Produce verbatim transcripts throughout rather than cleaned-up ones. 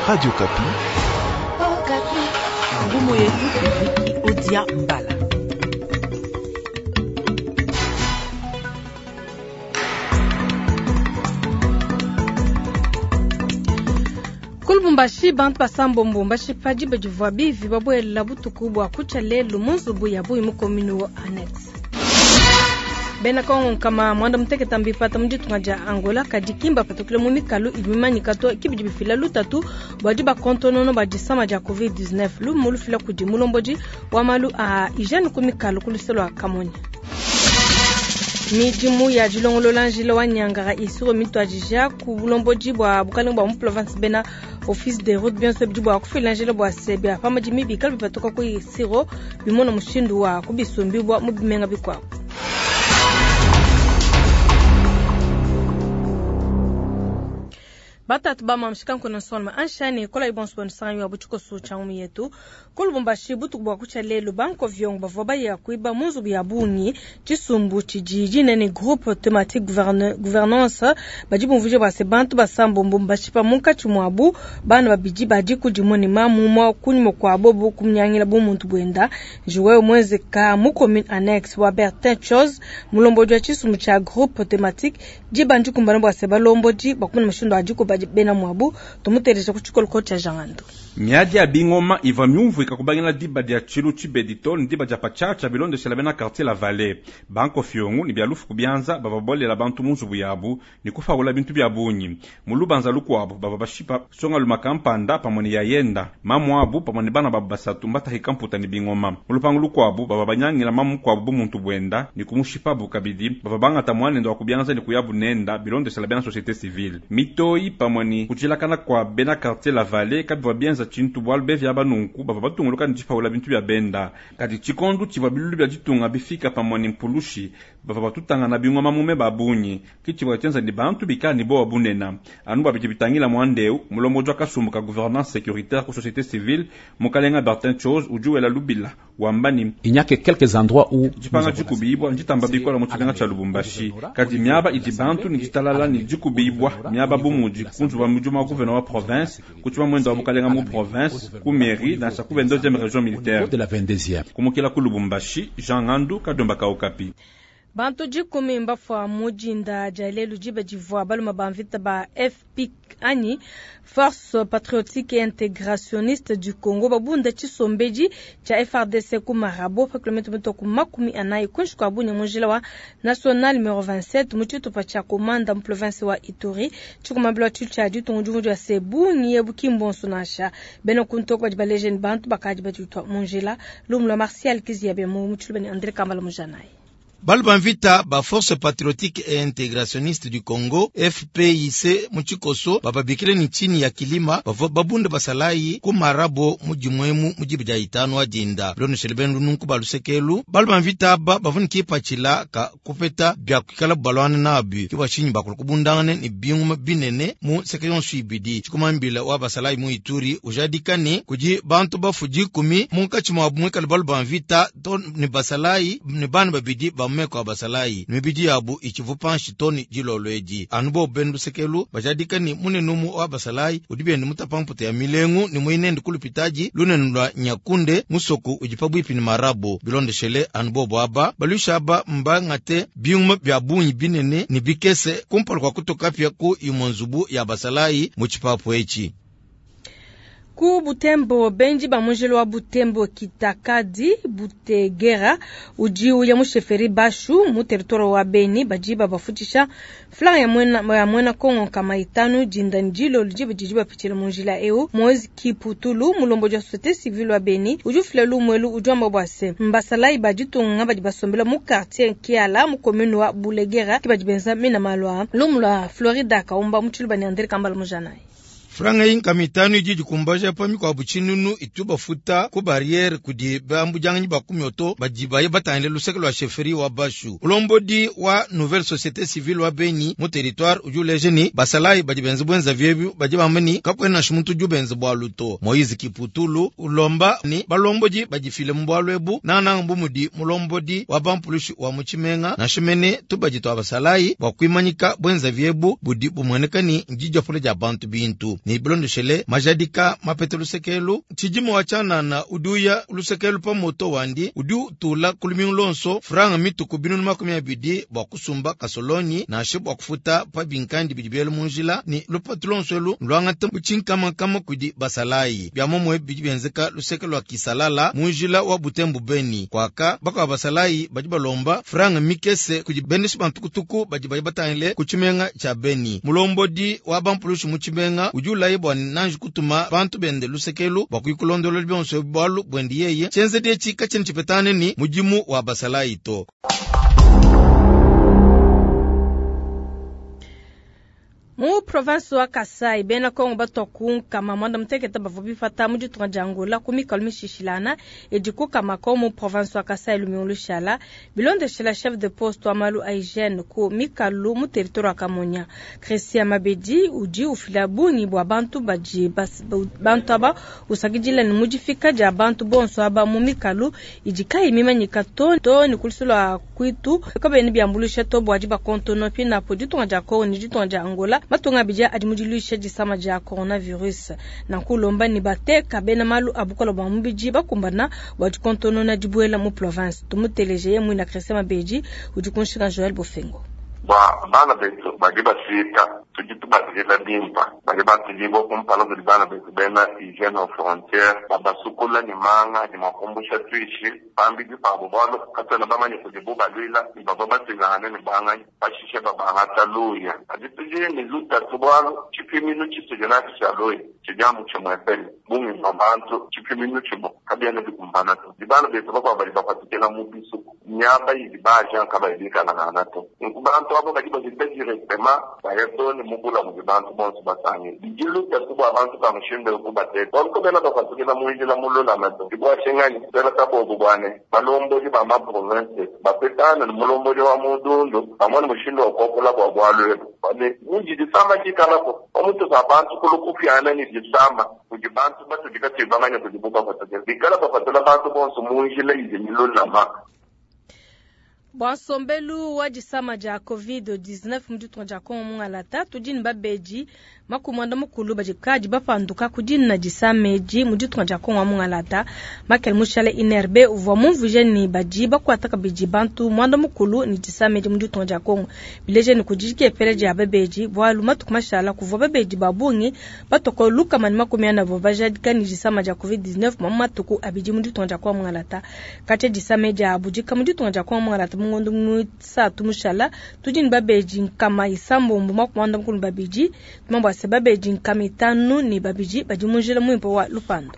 Radio Okapi. Ngumu yetu Viki Odia Mbala. Ku Lubumbashi bantu basambombo mbashipa diba divua bivi babuela butuku bua kutshia lelu mu nzubu ya bungi mu commune wa annexe. Bena Kongo nkama mwanda mutekete mbipata mu ditunga dia Angola kadi ki mbapatukile mu mikalu idi mimanyika to ki bidi bifila lutatu bua dibakontonona bua disama dia covid dix-neuf. Lumu lufila kudi mulombodi wa malu a hygiene ku mikalu ku luse lua Kamonya. Midimu ya dilongolola njila wa Nyangara isiro mituadija ku bulombodi bua bukalenge bua mu province bena office des routes bionso bidi bua kufila njila bua se bia pamadimi bikale bipatuka ku isiro bimona mushindu wa kubisumbibwa mu bimenga bikuabu. Batatu ba mamshika nkona nsonma anshani kola ibonso bonu sanyu wa butshikoso tsha mu yetu. Ku Lubumbashi butuku bua kutshia lelu banko vyongo bavua baya kuiba mu nzubu ya bungi tshisumbu tshidi dinene groupe thématique gouverne-, gouvernance badi bumvuija bua se bantu basambombo mbashipa munkatshi muabu bana babidi badi kudi ne mamu mwa kunyima kua bobu kumnyangila bu muntu buenda. Joel Mwenzeka mu commune annexe wa Bertin Chose mulombodi wa tshisumbu tshia groupe thématique dibandi kumbana bua se balombodi bakumuna mushindu wa dikuba bena mwabu tumutereja ku tshikoloko tsha Jangando. Miadi ya bingoma iva myumvuika kubangila diba dia tshilu tshibedi to ni diba dia patshatsha bilondeshela bena quartier la Vallée. Banko fiongu ni bia lufu kubianza bava bolela bantu mu nzubu yabu ni kufaula bintu bia bungi. Mu lubanza lukuabu bava bashipa songa luma kampanda pamwe ni yayenda. Mamu abu pamwe ni bana babu basatu mbata hikamputa ni bingoma. Mu lupangu lukuabu bava banyangila mamu kuabu bu muntu bwenda ni kumushipa bu kabidi bava bangata mwanendo wa kubianza ni kuyabu nenda bilondeshela bena société civile. Mitoi pamwe ni kuchilakana kwa bena quartier la Vallée kabivwa bienza tshintu bwalu bevya banunku bava batunguluka ni tshipaula bintu bya benda. Kadi tshikondu tshivua bilulu bya ditunga bifika pamwe ni mpulushi bava batutanga na bingoma mume babunyi. Kitshivua tshienza ni bantu bikala ni bowa bunena. Anu babidi bitangila mwandeu mulombodi wa kasumbu ka gouvernance sécuritaire ku société civile mukalenga Bertin Chose udi wela lubila wamba ni Il n'y a que quelques endroits où dipanga dikubibwa nditamba bikola mu tshilenga tsha Lubumbashi. Kadi miaba idi bantu ni ditalala ni dikubibwa miaba bumudi kunzu wa mujuma wa gouverneur wa province kutshiba mwendo wa mukalenga mu province ku mairie dans sa ku vingt-deuxième région militaire. De la vingt-deuxième. Kumukila ku Lubumbashi, Jean Ngandu Kadomba ka Okapi. Bantu dikumi mbafua mujinda dia lelu diba divua baluma ba mvita ba F P anyi Force Patriotique et Intégrationniste du Congo babunda tshisombedi tshia F R D C ku Marabo pa kilomètre mito ku makumi anayi kunshi kua bunya munjila wa national numéro vingt-sept mu tshitupa tshia Komanda mu province wa Ituri. Tshikumambila tshilu tshia ditungu divu dia se bungi ebu ki mbonso nansha. Bena kuntoko badi baleje ni bantu bakadi baditwa munjila. Lumu lwa Martial Kiziabe mu mutshulu bene André Kambala Mujanayi. Balba mvita ba Force Patriotique et Intégrationniste du Congo F P I C muchikoso bababikile ni chini ya kilima bavo babunda basalayi ku Marabo mujimwemu mujibu ja itano adinda lono seleben nunku balusekelu balba mvita ba bavuni kipachila ka kupeta bya kukala balwana nabi kiba chinyi bakulu kubundangane ni binguma binene mu sekeyon suibidi chikumambila wa basalayi mu Ituri ujadikani kuji bantu bafuji kumi munkachi mwa mwekal balba mvita to ni basalayi ni bana babidi ba mmeko abasalayi mibidi yabu ichivupanshi toni jilolweji anubo bendu sekelu bajadika ni munenumu wa basalayi udibende mutapamputa ya milengu ni muinende kulupitaji lunenu lwa nyakunde musoku ujipabwipi ni marabo bilondeshele anubo bwaba balushaba mbangate byuma bya bunyi binene ni bikese kumpala kwa kutokapya ku imonzubu ya basalayi mu chipapu echi. Ku Butembo benji ba mujelo wa Butembo Kitakadi Butegera uji uya musheferi Bashu mu territoire wa Beni baji babafutisha flag ya mwena, ya mwena Kongo kama itanu jinda njilo liji bajiji bapichila munjila eu Moise Kiputulu mulombo ja société civile wa Beni uju fila lumwelu uju amba bwase mbasalai bajitunga baji basombela mu quartier Kiala mu commune wa Bulegera ki baji benza mina malwa lumula Florida kaumba muchulu bani Andre Kambala mujanai. Franga inka mitano iji jikumbaja pa mikwa buchinunu ituba futa ku barriere kudi bambu janganyi ba kumyoto bajibaye batangile luseke lwa chefferie wa Bashu. Ulombodi wa nouvelle société civile wa Beni mu territoire uju lejeni basalai baji benzi bwenza vyebu baji bamani kakwena shimuntu ju benzi bwa luto. Moise Kiputulu ulomba ni balomboji bajifile mbwalwebu na na mbumudi mulombodi wa bampulushi wa muchimenga na shimene tubaji twa basalai bwa kwimanyika bwenza vyebu budi bumweneka ni njija pole ja bantu bintu. Ne bilondeshele majadika mapete lusekelu tshidima wa tshianana udi uya lusekelu pa moto wandi udi utula ku lumingu lonso franga mituku binunu makumi abidi bua kusumba kasolonyi nansha bua kufuta pa binkandi bidi biela mu njila ne lupatu lonso elu luangata mu tshinkamakama kudi basalayi bia momwe bidi bienzeka luseke lua kisalala mu njila wa Butembo Beni kwaka bakwa basalayi badi balomba franga mikese kudi bendeshi bantukutuku badi badi batangile ku tshimenga tshia Beni. Mulombodi wa bampulushi mu tshimenga udi ulaye bua nanji kutuma bantu bende lusekelu bua kuikulondolola bionso bualu bwendi yeye tshienzedi etshi katshina tshipetane ni mudimu wa basalayi to. Mu province wa Kasai bena Kongo batwa nkama mwanda mutekete bavua bipata mu ditunga dia Angola ku mikalo mishishilana idi ku Kamako mu province wa Kasai lumingu lushala bilondeshela chef de poste wa malu a hygiene ku mikalu mu territoire wa Kamonia. Christian Mabedi udi ufila bungi bua bantu badi bantu aba usakidila ne mudifika dia bantu bonso aba mu mikalu idi kayi mimanyika to to ne kulusulu kwitu kabene biambulusha to bua dibakontono pinapo ditunga dia Kongo ne ditunga dia Angola matunga abidi adi mudiluisha disama dia coronavirus. Nanku lomba ne bateka bena malu abukola bua mubidi bakumbana bua dikontonona dibuela mu province. Tumuteleje ye mwina Christian Mabedi udi kunshika Joël Bofengo. Bua bana betu badi bafika tudi tubadila bimpa badi batudibua kumpala kudi bana betu bena hygiene aux frontières babasukula ne manga ne makumbusha tuishi pambidi pabo bualu katuena bamanye kudibu balwila ne bavua batuilangane ne banganyi pashishe babangata luya kadi tudi ne lutatu bualu tshipiminu tshitudi natshi tshia luya tshidi amu tshimuepele bungi bua bantu tshipiminu tshimue kabiena bikumbana to di bana betu bakuabu badi bapatukila mu bisuku miaba idi ba agent kabayi bikalangana to nunku bantu abo badi bavita directement baya to ne mubula mudi bantu bonso basange bidi lutatu bua bantu ba mushindu kubateka bualu kabena bapatukila mu njila mululama to dibua tshinganyi twela kabobu bwane balombodi ba ma province bapetana ne mulombodi wa mudundu pamue ne mushindu wa kuakula bua bualu ebu ne mudi disama dikalako pamutu pa bantu kulu kupiana ne disama kudi bantu batudi katuyi bamanye kudibu bapatukila bikala bapatula bantu bonso mu njila idi milulama. Bua nsombelu wa disama dia covid dix-neuf mu ditunga dia Kongo mungalata tudi ne babedi makumi muanda mukulu badi kadi bapanduka ku dina disama edi mu ditunga dia Kongo mungalata. Makele mushale I N R B uvua mumvuije ne badi bakuata kabidi bantu muanda mukulu ne disama edi mu ditunga dia Kongo. Bileje ne kudi dikepela dia babedi bualu matuku mashala kuvua babedi ba bungi batoko lukama ne makumi ana bavua bajadika ne disama dia covid dix-neuf mu matuku abidi mu ditunga dia Kongo mungalata. Katshia disama edi abudika mu ditunga dia Kongo mungalata mu ngondo muisatu mushala tudi ne babedi nkama isambombo makumi muanda mukulu babidi tumambo ase babedi nkama itanu ne babidi badi mu njila muimpe wa lupando.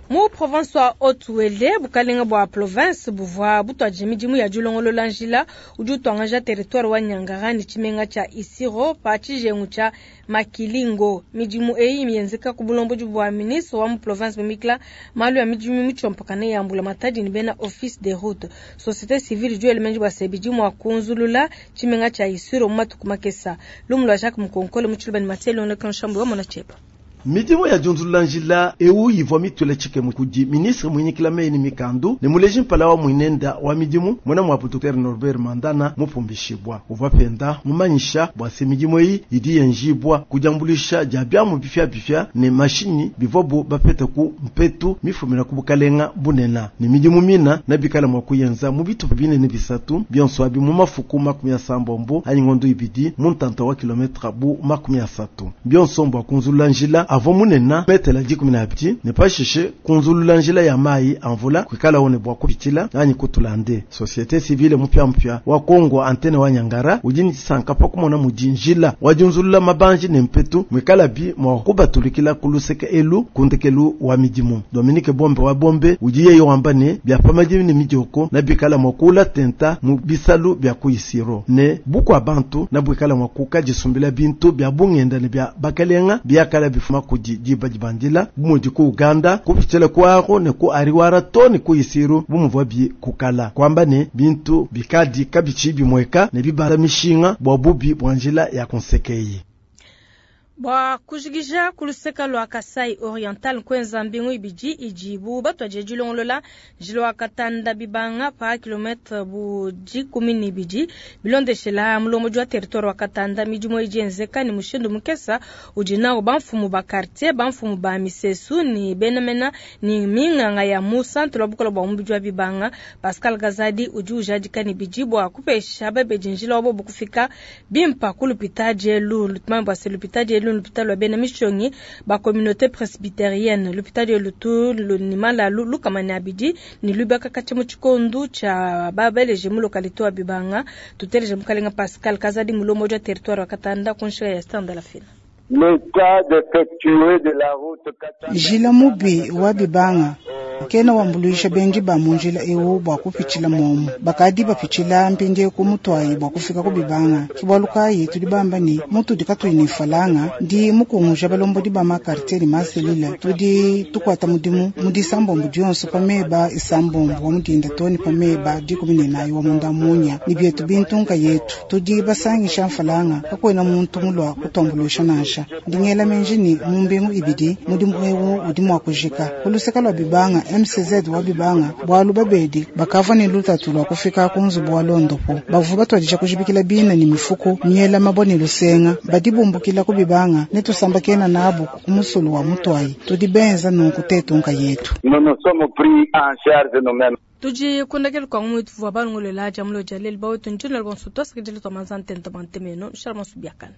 Mu province wa Haut-Uele, bukalenga bua province buvua butuadije midimu ya dilongolola njila udi utuangaja territoire wa Nyangara ne tshimenga tshia Isiro pa tshijengu tshia Makilingo. Midimu eyi mienzeka ku bulombodi bua ministre wa mu province Mimikla malu ya midimu mitshiompakane ya mbula matadi ne bena office des routes. Société civile du elemenji bua sebidi mua kunzulula tshimenga tshia Isiro mu matuku makesa. Lumu lua Jacques Mukonkole mu Tshiluba ne Mathieu Longo Kanshambu wa Mona Chepa. Midimu ya junzulula njila ewu ivua mitwela tshikemu kudi ministre mwinyikila meyi mikandu ne muleji mpala wa mwinenda wa midimu mwena mwapu Docteur Norbert Mandana mupumbishibwa uvua penda mumanyisha bua se midimu eyi idi yenjibwa kudiambulisha dia biamu bifya bifya ne mashinyi bivua bapete ku mpetu mifumina ku bukalenga bunena ne midimu mina na bikala mwa kuyenza mu bitupa binene bisatu bionso abi mu mafuku makumi asambombo anyi ngondo ibidi mu ntanta wa kilometre bu makumi asatu bionso mbwa kunzulula njila avo munena metela dikumi na abidi ne pashishe kunzulula njila ya mayi amvula kwikala one bwa kupitila anyi kutulande. Société civile mupya mupya wa Kongo antene wa Nyangara udi ni disanka pa kumona mudi njila wajunzulula mabanji ne mpetu mwikala bi mwa kubatulikila kuluseke elu kundekelu wa midimu. Dominique Bombe wa Bombe udi yeye wamba ne bya pamadimi ne midioko na bikala mwa kula tenta mu bisalu bya kuisiro ne bukwa bantu na bwikala mwa kukajisumbila bintu bya bungenda ne bya bakalenga byakala bifuma kudi diba dibandila bumudi ku Uganda kupitshila ku Aro ne ku Ariwara to ne ku Isiro bumuvua bi kukala kwamba ne bintu bikadi kabichi bimweka ne bibala mishinga bwa bubi bwa njila ya konsekei. Bua kujikija ku luseka lua Kasai Oriental kuenza mbingu ibidi idibu batuadije dilongolola njila wa Katanda Bibanga pa kilometre bu dikumi ne ibidi bilondeshela mulombodi wa territoire wa Katanda. Midimu idi yenzeka ne mushindu mukesa udi nawu bamfumu ba quartier, bamfumu ba misesu ne benamena ne minganga ya mu centre wa bukola bua mubidi wa Bibanga. Pascal Gazadi udi ujadika ne bidi bua kupesha babedi njila wa bobu kufika bimpa ku lupita dielu lutumambi bua se lupita dielu lupita lwa bena mishonyi ba communauté presbytérienne lupita dielu tu ni malalu lukamani abidi ni lubaka kacha mu tshikondu tsha babeleje mu localité wa Bibanga. Tuteleje mukalenga Pascal Kazadi mulomo wa territoire wa Katanda kunshika ya stand la fina. Njila mubi wa Bibanga kena wambuluisha benji ba munjila ewu bua kupitshila momu bakadi bapitshila mpindie ku mutwayi bua kufika ku Bibanga. Kibualukayi tudi bamba ni mutudi katuyi ne falanga ndi mukunguja balombodi ba makartier ne maselile tudi tukuata mudimu mu disambombo dionso pa meba isambombo wa mudinda toni pa meba dikumi ne nayi wa munda munya ni bietu bintu nkayetu tudi basangisha mfalanga kakwena muntu mulwa kutuambuluisha nansha ndingela menji ni mumbingu ibidi mudimu ewu udi mua kujika kuluseka lwa Bibanga M C Z wa Bibanga bwalu babedi bakava ne lutatu lwa kufika ku nzubu wa londopo bavu batwadisha kujibikila bina ni mifuko miela mabone lusenga badi bumbukila ku Bibanga ne tusambakena nabo ku musulu wa mutwayi tudi benza nunku tetunka yetu. Nous nous sommes pris en charge nous-mêmes. Tuji kundakelu kwa mwitu vwa balungulela jamulo jalel bawetu njino albonso twasakidile twa manzante ntabante meno shalmansu biakana.